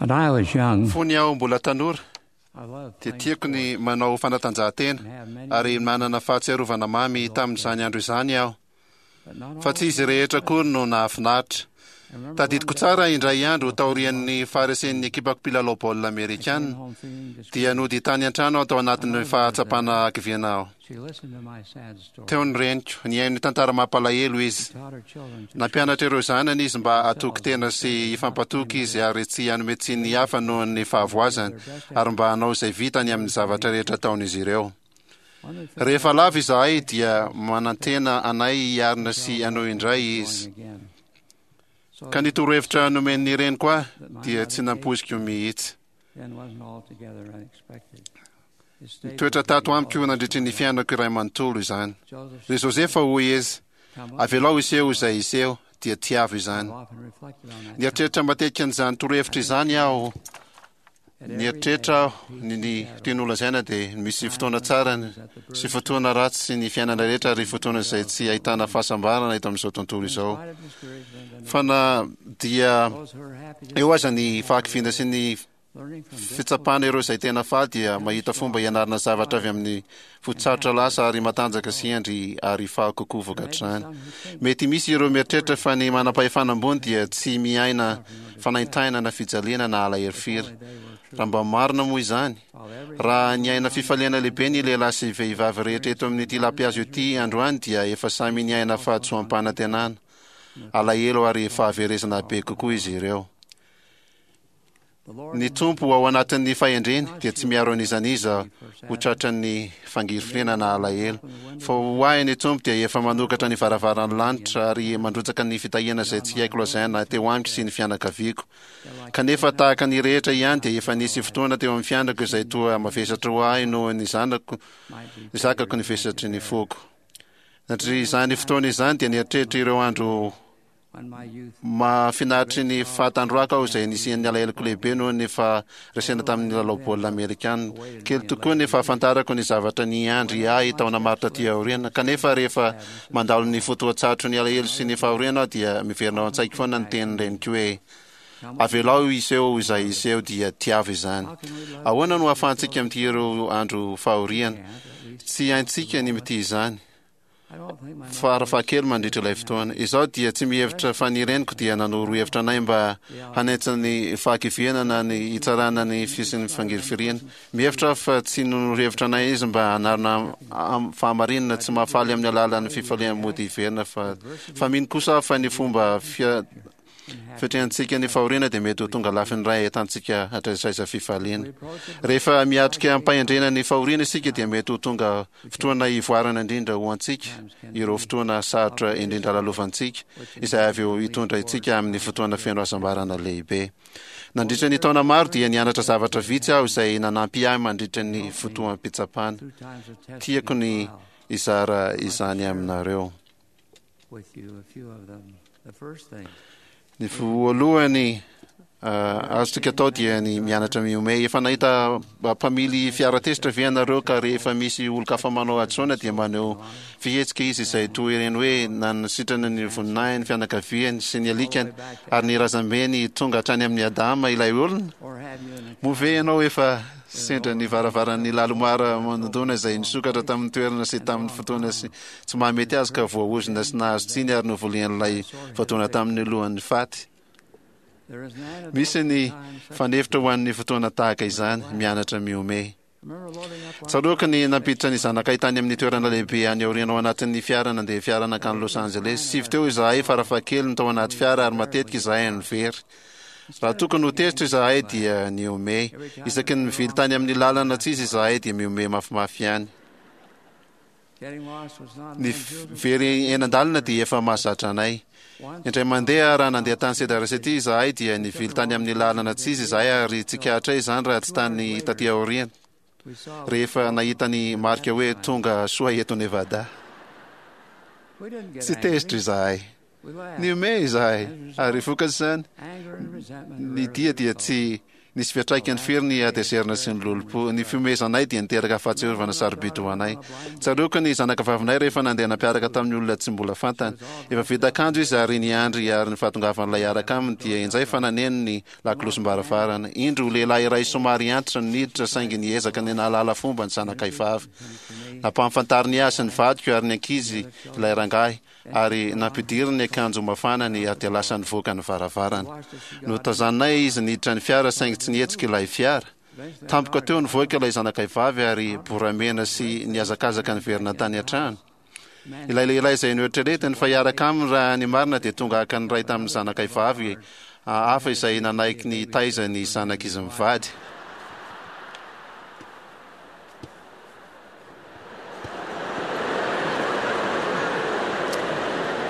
When I was young, Fony aho mbola tanora, I loved dia playing tiako ny sports manao fanatanjahantena and have many ary manana fahatsiarovana mamy tamin'izany andro izany aho. but not Fa all tsy izy rehetra akory no nahafinaritra. I remember Tadidiko one day tsara indray andro taorian'ny faharesen'ny ekipako mpilalao baolina I came amerikana, home feeling discouraged. dia nody tany an-trano aho tao anatin'ny fahatsapana hakiviana aho. She listened to my sad story. Teo ny reniko, nihaino ny tantara mampalahelo izy. Taught her children to Nampianatra ireo zanany izy mba hatoky tena sy hifampatoky izy ary tsy hanome tsiny ny hafa noho ny fahavoazany ary mba hanao izay vitany amin'ny zavatra rehetra ataon'izy ireo. One of the things Rehefa lavo izahay dia manantena anay hiarina sy hanao indray izy. going again. So Ka ny torohevitra nomen'ny reniko ahy dia tsy nampoiziko mihitsy. then wasn't altogether unexpected. It stayed Nitoetra with me tato all amiko nandritry ny fiainako iray manontolo izany. Joseph Ry Josefa hoy izy, come up. avelao hiseho izay hiseho, dia tiavo izany. I've often reflected on that Nieritreritra matetika an'izany torohevitra izany aho. At every Nieritreritra day, aho ny ny tiany holazaina dia misy fotoana tsara sy fotoana ratsy sy ny fiainana rehetra ary fotoana izay tsy ahitana fahasambarana eto amin'izao tontolo in izao. spite of discouragement and Fa na dia those who are happy to eo aza ny fahakiviana sy ny learning from fitsapana ireo izay tena faly dia mahita fomba hianarana zavatra avy amin'ny fotsarotra lasa ary matanjaka sy hendry ary faly kokoa vokatr'izany. Mety misy ireo mieritreritra fa ny manam-pahefana ambony dia tsy miaina fanaintainana na fijaliana na alahelo firy. Raha mba marina moa izany, raha niaina fifaliana lehibe ny lehilahy sy vehivavy rehetra eto amin'ity lampihazo ity androany dia efa samy niaina fahadisoam-panantenana, alahelo ary fahaverezana be kokoa izy ireo. the Lord Ny Tompo ao anatin'ny fahendreny dia tsy miaro an'iza n'iza ho tratran'ny fangirifiriana na alahelo. Fa ho ahy ny Tompo dia efa manokatra ny varavaran'ny lanitra ary mandrotsaka ny fitahiana izay tsy haiko lazaina teo amiko sy ny fianakaviako. Kanefa tahaka ny rehetra ihany dia efa nisy fotoana teo amin'ny fiainako izay toa mavesatra ho ahy noho ny zanako, might be zakako ny vesatry ny foko. Nandritra izany fotoana izany dia nieritreritra ireo andro when my youth Mahafinaritry ny fahatandroako aho izay nisian'ny alaheloko lehibe noho ny faharesena tamin'ny lalao baolina amerikana. Kely tokoa ny fahafantarako ny zavatra niandry ahy taona maro taty aoriana. Kanefa rehefa mandalo ny fotoan-tsarotry ny alahelo sy ny fahoriana aho dia miverina ao an-tsaiko foana ny tenin'ny reniko hoe, Avelao hiseho izay hiseho dia tiavo izany. Ahoana no ahafahantsika mitia ireo andro fahoriana? Tsy haintsika ny mitia izany. I don't think my Farafahakely mandritra ilay fotoana. Izaho dia tsy mihevitra fa ny reniko dia nanoro hevitra anay mba hanentsina ny fahakiviana na ny hitsarana ny fisian'ny fangirifiriana. Mihevitra aho fa tsy nanoro hevitra anay izy mba hanarina am- fahamarinana tsy mahafaly amin'ny alalan'ny fifaliana mody hiverina fa fa mino kosa aho fa ny fomba fia Fiatrehantsika ny fahoriana dia mety ho tonga lafiny iray ahitantsika hatraizaiza fifaliana. Rehefa miatrika am-pahendrena ny fahoriana isika dia mety ho tonga fotoana hivoarana indrindra ho antsika ireo fotoana sarotra indrindra lalovantsika, izay avy eo hitondra antsika amin'ny fotoana feno hasambarana lehibe. Nandritra ny taona maro dia nianatra zavatra vitsy aho izay nanampy ahy mandritra ny fotoam-pitsapana. through times of testing Tiako and ny trial hizara izany aminareo. with you a few of them. The first thing, Ny voalohany azontsika atao dia ny mianatra mihomehy. Efa nahita mpamily fiara tezitra ve ianareo ka rehefa misy olon-kafa manao hadisoana dia maneho fihetsika izy izay toy ireny hoe nanasitrana ny voninahiny, fianakaviany sy ny alikany ary ny razambeny tonga hatrany amin'i Adama ilay olona? or have you an Moa ve ianao efa sendra ny varavaran'ny lalomara manodona izay nisokatra tamin'ny toerana sy tamin'ny fotoana sy tsy mahamety azy ka voaozona sy nahazo tsiny ary novolian'ilay voadona tamin'ny lohan'ny faty? There is an antidote Misy ny for times such fanefitra ho an'ny fotoana tahaka izany, mianatra mihomehy. Remember loading up our Tsaroako ny nampiditra ny zanakay tany amin'ny toerana lehibe any aoriana ao anatin'ny fiara nandeha fiara nankany Los Angeles. Sivy teo izahay farafahakeliny tao anaty fiara ary matetika izahay no very. Raha tokony ho tezitra izahay dia nihomehy. Isaky ny mivily tany amin'ny lalana tsy izy izahay dia mihomehy mafimafy ihany. Getting lost was not Ny an unusual very eny an-dalana dia efa mahazatra anay. Once Indray mandeha raha nandeha tany Cedar City izahay dia nivily tany amin'ny lalana tsy izy izahay ary tsikaritray izany raha tsy tany taty aoriana we saw rehefa nahita ny marika hoe tonga soa eto Nevada. we didn't get Tsy angry. tezitra izahay. We laughed. Nihomehy izahay ary vokatr'izany Anger and resentment ny rarely dia dia result. tsy Nisy fiantraikany firy ny hatezerana sy ny lolompo. Ny fihomehezanay dia niteraka fahatsiarovana sarobidy ho anay. Tsaroako ny zanakavavinay rehefa nandeha nampiaraka tamin'ny olona tsy mbola fantany. Efa vita akanjo izy ary niandry ary ny fahatongavan'ilay hiaraka aminy dia injay fa naneno ny lakolosim-baravarana. Indro lehilahy iray somary antitra no niditra saingy niezaka ny nahalala fomba ny zanakay vavy. Nampahafantariny ahy sy ny vadiko ary ny ankizy ilay rangahy. ary nampidiriny ny akanjo mafanany ary dia lasa nivoaka ny varavarana. Notazaninay izy niditra ny fiara saingy tsy nihetsika ilay fiara. Tampoka teo nivoaka ilay zanakay vavy ary boramena sy nihazakazaka niverina tany an-trano. Ilay lehilahy izay noeritreretiny fa hiaraka aminy raha ny marina dia tonga haka ny iray tamin'ny zanakay vavy hafa izay nanaiky ny hitaiza ny zanak'izy mivady.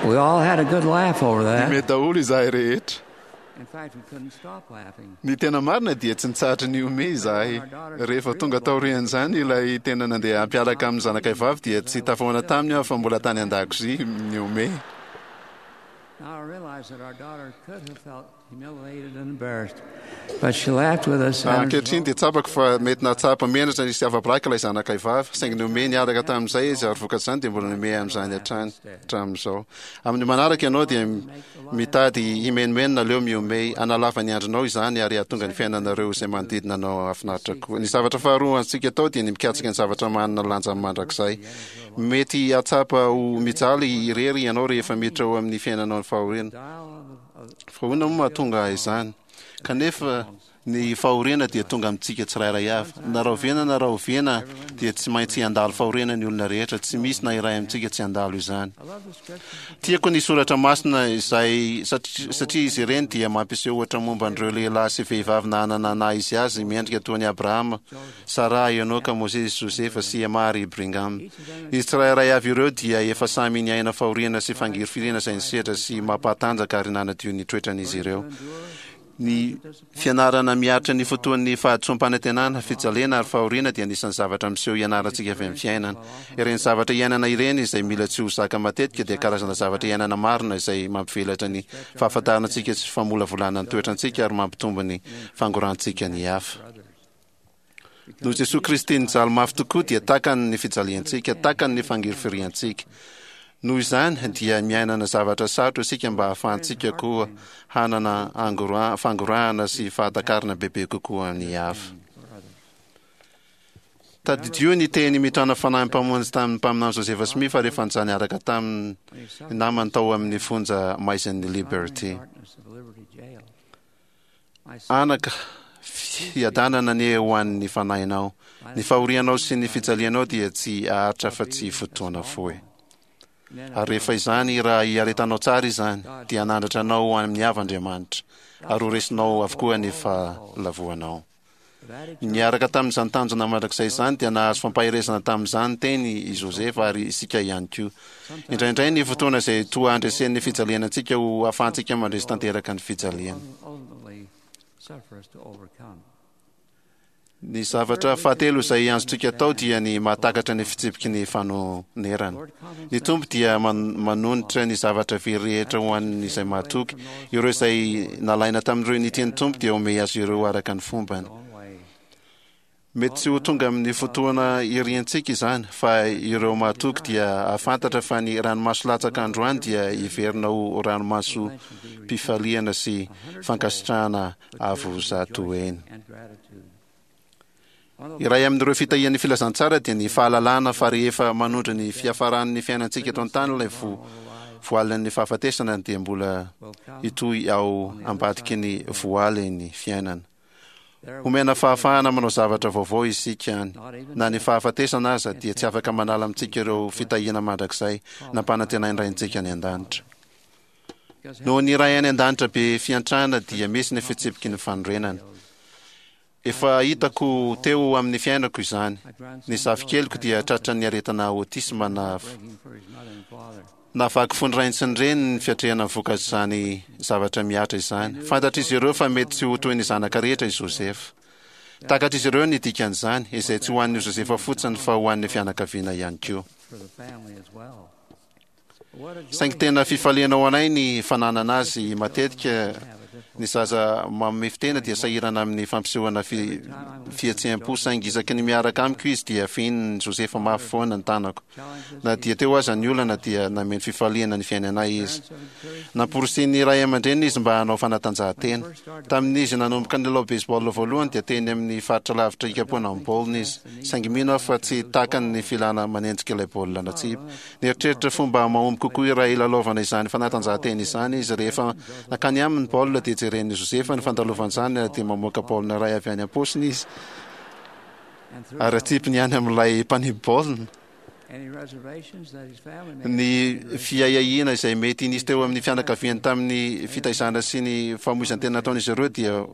We all had a good laugh over that. Nihomehy daholo izahay rehetra. In fact, we couldn't stop laughing. Ny tena marina dia tsy nitsahatra nihomehy izahay. Rehefa tonga taorian'izany ilay tena nandeha hampiaraka amin'ny zanakay vavy dia tsy tafahoana taminy aho fa mbola tany an-dakozia nihomehy. Now I realize that our daughter could have felt humiliated and embarrassed, but she laughed with us. and Ankehitriny dia tsapako fa mety nahatsapa menatra sy afa-baraka ilay zanakay vavy, saingy nihomehy niaraka tamin'izay izy ary vokatr'izany dia mbola nihomehy amin'izany hatrany hatramin'izao. Amin'ny manaraka ianao dia mitady himenomenona aleo mihomehy, hanalava ny andronao izany ary hahatonga ny fiainanareo izay manodidina anao hahafinaritra koa. Ny zavatra faharoa azontsika atao dia ny mikatsaka ny zavatra manana lanja mandrakizay. Mety hahatsapa ho mijaly irery ianao rehefa miditra ao amin'ny fiainanao ny fahoriana. Fa ahoana moa mahatonga izany? Kanefa ny fahoriana dia tonga amintsika tsirairay avy. Na rahoviana na rahoviana dia tsy maintsy handalo fahoriana ny olona rehetra, tsy misy na iray amintsika tsy handalo izany. Tiako ny soratra masina izay satria izy ireny dia mampiseho ohatra momba an'ireo lehilahy sy vehivavy nanana naha izy azy miendrika toa an'i Abrahama, Saraha, Enoka, Mosesy, Josefa, sy Emma ary Brigham. Izy tsirairay avy ireo dia efa samy niaina fahoriana sy fangirifiriana izay nisedra sy mampahatanjaka ary nanadio ny toetran'izy ireo. Ny fianarana miaritra ny fotoan'ny fahadisoam-panantenana, fijaliana ary fahoriana dia anisan'ny zavatra miseho ianarantsika avy amin'ny fiainana. Ireny zavatra iainana ireny izay mila tsy ho zaka matetika dia karazana zavatra iainana marina izay mampivelatra ny fahafantarana antsika sy famolavolana ny toetrantsika ary mampitombo ny fangorantsika ny hafa. Noho Jesoa Kristy nijaly mafy tokoa dia takany ny fijaliantsika, takany ny fangirifiriantsika. Noho izany dia miainana zavatra sarotra isika mba hahafahantsika koa hanana fangorahana sy fahatakarana bebe kokoa ny hafa. Tadidio ny teny mitrana fanahy Mpamonjy tamin'ny mpaminany Joseph Smith rehefa nijaly niaraka tamin'ny namany tao amin'ny fonja maizin'ny Liberty. Anaka, fiadanana anie ho an'ny fanahinao. Ny fahorianao sy ny fijalianao dia tsy haharitra afa-tsy fotoana fohy. Ary rehefa izany, raha iaretanao tsara izany, dia hanandratra anao ho amin'ny avo Andriamanitra, ary ho resinao avokoa ny fahalavoanao. Niaraka tamin'izany tanjona mandrakizay izany dia nahazo fampaherezana tamin'izany teny i Josefa ary isika ihany koa. Indraindray ny fotoana izay toa handresen'ny fijaliana antsika ho ahafahantsika mandresy tanteraka ny fijaliana. Ny zavatra fahatelo izay azontsika atao dia ny mahatakatra ny fitsipiky ny fanonerana. Ny Tompo dia manonitra ny zavatra very rehetra ho an'izay mahatoky. Ireo izay nalaina tamin'ireo nitia ny Tompo dia omey azy ireo araka ny fombany. Mety tsy ho tonga amin'ny fotoana iriantsika izany, fa ireo mahatoky dia hahafantatra fa ny ranomaso latsaka androany dia hiverina ho ranomasom-pifaliana sy fankasitrahana avo zatoheny. Iray amin'ireo fitahian'ny filazantsara dia ny fahalalana fa rehefa manondro ny fiafaran'ny fiainantsika eto an-tany ilay voalin'ny fahafatesana dia mbola hitohy ao ambadiky ny voaly ny fiainana. Homena fahafahana manao zavatra vaovao isika any. Na ny fahafatesana aza dia tsy afaka manala amintsika ireo fitahiana mandrakizay nampanantenain'ny Raintsika any an-danitra. Noho ny Ray any an-danitra be fiantrana dia misy ny fitsipiky ny fanorenana. Efa hitako teo amin'ny fiainako izany. Ny zafikeliko dia tratran'ny aretina autisme na navaky fo ny rainy sy ny reniny ny fiatrehana ny vokatr'izany zavatra mihatra izany. Fantatr'izy ireo fa mety tsy ho toy ny zanaka rehetra i Joseph. Takatr'izy ireo ny dikan'izany, izay tsy ho an'i Josefa fotsiny fa ho an'ny fianakaviana ihany koa. Saingy tena fifaliana ho anay ny fananana azy matetika. Ny zaza mamefy tena dia sahirana amin'ny fampisehoana fihetseham-po, saingy isaky ny miaraka amiko izy dia fehinin'i Josefa mafy foana ny tanako. Na dia teo aza ny olana dia nameno fifaliana ny fiainanay izy. Namporisihin'ny ray aman-dreniny izy mba hanao fanatanjahantena. Tamin'izy nanomboka nilalao baseball voalohany dia teny amin'ny faritra lavitra hikapohana ny baolina izy, saingy mino aho fa tsy takany ny filana manenjika ilay baolina natsipy. Nieritreritra fomba mahomby kokoa iray hilalaovana izany fanatanjahantena izany izy. Rehefa nankany aminy ny baolina dia jeren'i Josefa ny fandalovan'izany ary dia mamoaka baolina iray avy any am-paosiny izy ary atsipiny any amin'ilay mpanipy baolina. Ny fiahiahiana izay mety nisy teo amin'ny fianakaviany tamin'ny fitaizana sy ny famoizan-tena nataon'izy ireo dia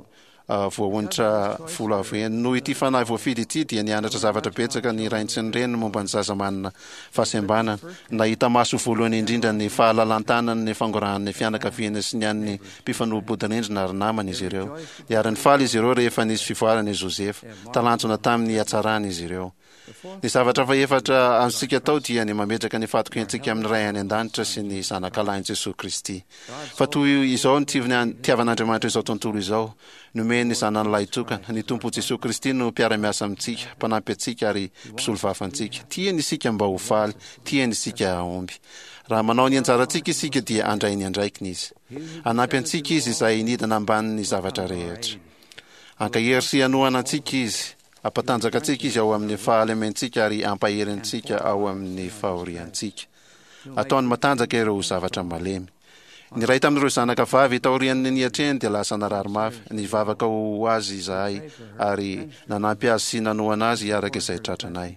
voaonitra volavena. Noho ity fanahy voafidy ity dia nianatra zavatra betsaka ny rainy sy ny reniny momba ny zaza manana fahasembanana. Nahita maso voalohany indrindra ny fahalalan-tanany ny fangorahan'ny fianakaviany sy ny an'ny mpifanolo-bodirindrina ary namany izy ireo. Niara-nifaly izy ireo rehefa nisy fivoarana i Josefa. Talanjona tamin'ny hatsarany izy ireo. Ny zavatra fahefatra azontsika atao dia ny mametraka ny fahatokiantsika amin'ny Ray any An-danitra sy ny Zanakalahin'i Jesoa Kristy. Fa toy izao ny tiavan'Andriamanitra izao tontolo izao, nomeny ny Zanany Lahitokana. Ny Tompo Jesoa Kristy no mpiara-miasa amintsika, mpanampy antsika ary mpisolovava antsika. Tiany isika mba ho faly, tiany isika hahomby. Raha manao ny anjarantsika isika dia handray ny andraikiny Izy. Hanampy antsika Izy izay nidina ambanin'ny zavatra rehetra. Hankahery sy hanohana antsika Izy. Hampatanjaka antsika Izy ao amin'ny fahalementsika ary hampahery antsika ao amin'ny fahoriantsika. Ataony matanjaka ireo zavatra malemy. Ny iray tamin'ireo zanaka vavy taorian'ny niatrehany dia lasa narary mafy. Nivavaka ho azy izahay ary nanampy azy sy nanohana azy araka izay tratranay.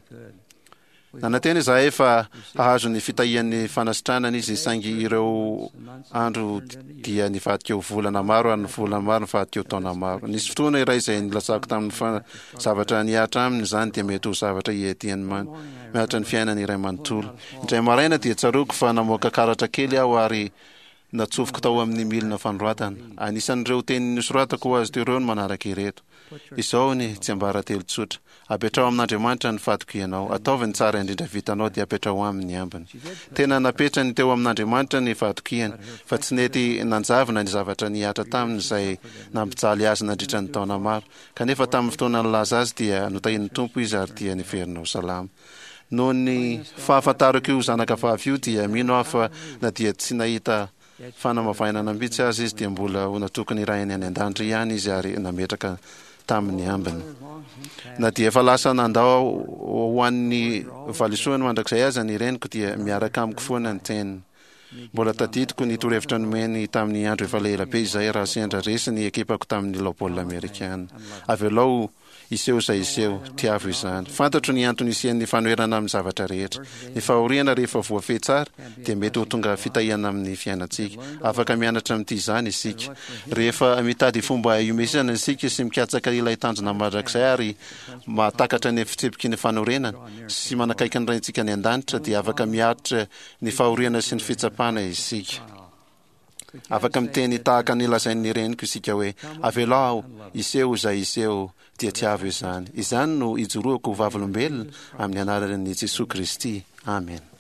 Nanantena izahay fa hahazo ny fitahian'ny fanasitranana izy, saingy ireo andro dia nivadika ho volana maro ary ny volana maro nivadika ho taona maro. Nisy fotoana iray izay nilazako taminy fa zavatra nihatra aminy izany dia mety ho zavatra hiadiany miaritra ny fiainany iray manontolo. Indray maraina dia tsaroako fa namoaka karatra kely aho ary Natsofoko tao amin'ny milina fanoratana. Anisan'ireo teny nosoratako ho azy teo ireo ny manaraka ireto. Izao ny tsiambaratelo tsotra. Apetraho amin'Andriamanitra ny fatokianao. Ataovy ny tsara indrindra vitanao dia apetraho aminy ny ambiny. Tena napetrany teo amin'Andriamanitra ny fahatokiany, fa tsy nety nanjavona ny zavatra nihatra taminy izay nampijaly azy nandritra ny taona maro. Kanefa tamin'ny fotoana nilaza azy dia notahian'ny Tompo izy ary dia niverina ho salama. Noho ny fahafantarako io zanaka vavy io dia mino aho fa na dia tsy nahita fanamavainana mihitsy aza izy dia mbola ho natoky ny Rainy any An-danitra ihany izy ary nametraka taminy ambiny. Na dia efa lasa nandao ho an'ny valisoany mandrakizay aza ny reniko dia miaraka amiko foana ny teniny. Mbola tadidiko ny torohevitra nomeny tamin'ny andro efa ela be izay raha sendra resy ny ekipako tamin'ny lalao baolina amerikana. Avelao hiseho izay hiseho, tiavo izany. Fantatro ny antony hisian'ny fanoherana amin'ny zavatra rehetra. Ny fahoriana rehefa voafehy tsara dia mety ho tonga fitahiana amin'ny fiainantsika. Afaka mianatra mitia izany isika. Rehefa mitady fomba hiomezana isika sy mikatsaka ilay tanjona mandrakizay ary mahatakatra ny fitsipiky ny fanorenana sy manakaiky ny Raintsika any An-danitra dia afaka miaritra ny fahoriana sy ny fitsapana isika. Afaka miteny tahaka ny lazain'ny reniko isika hoe, Avelao aho hiseho izay hiseho, dia tiavo izany. Izany no ijoroako ho vavolombelona amin'ny anaran'i Jesoa Kristy. Amena.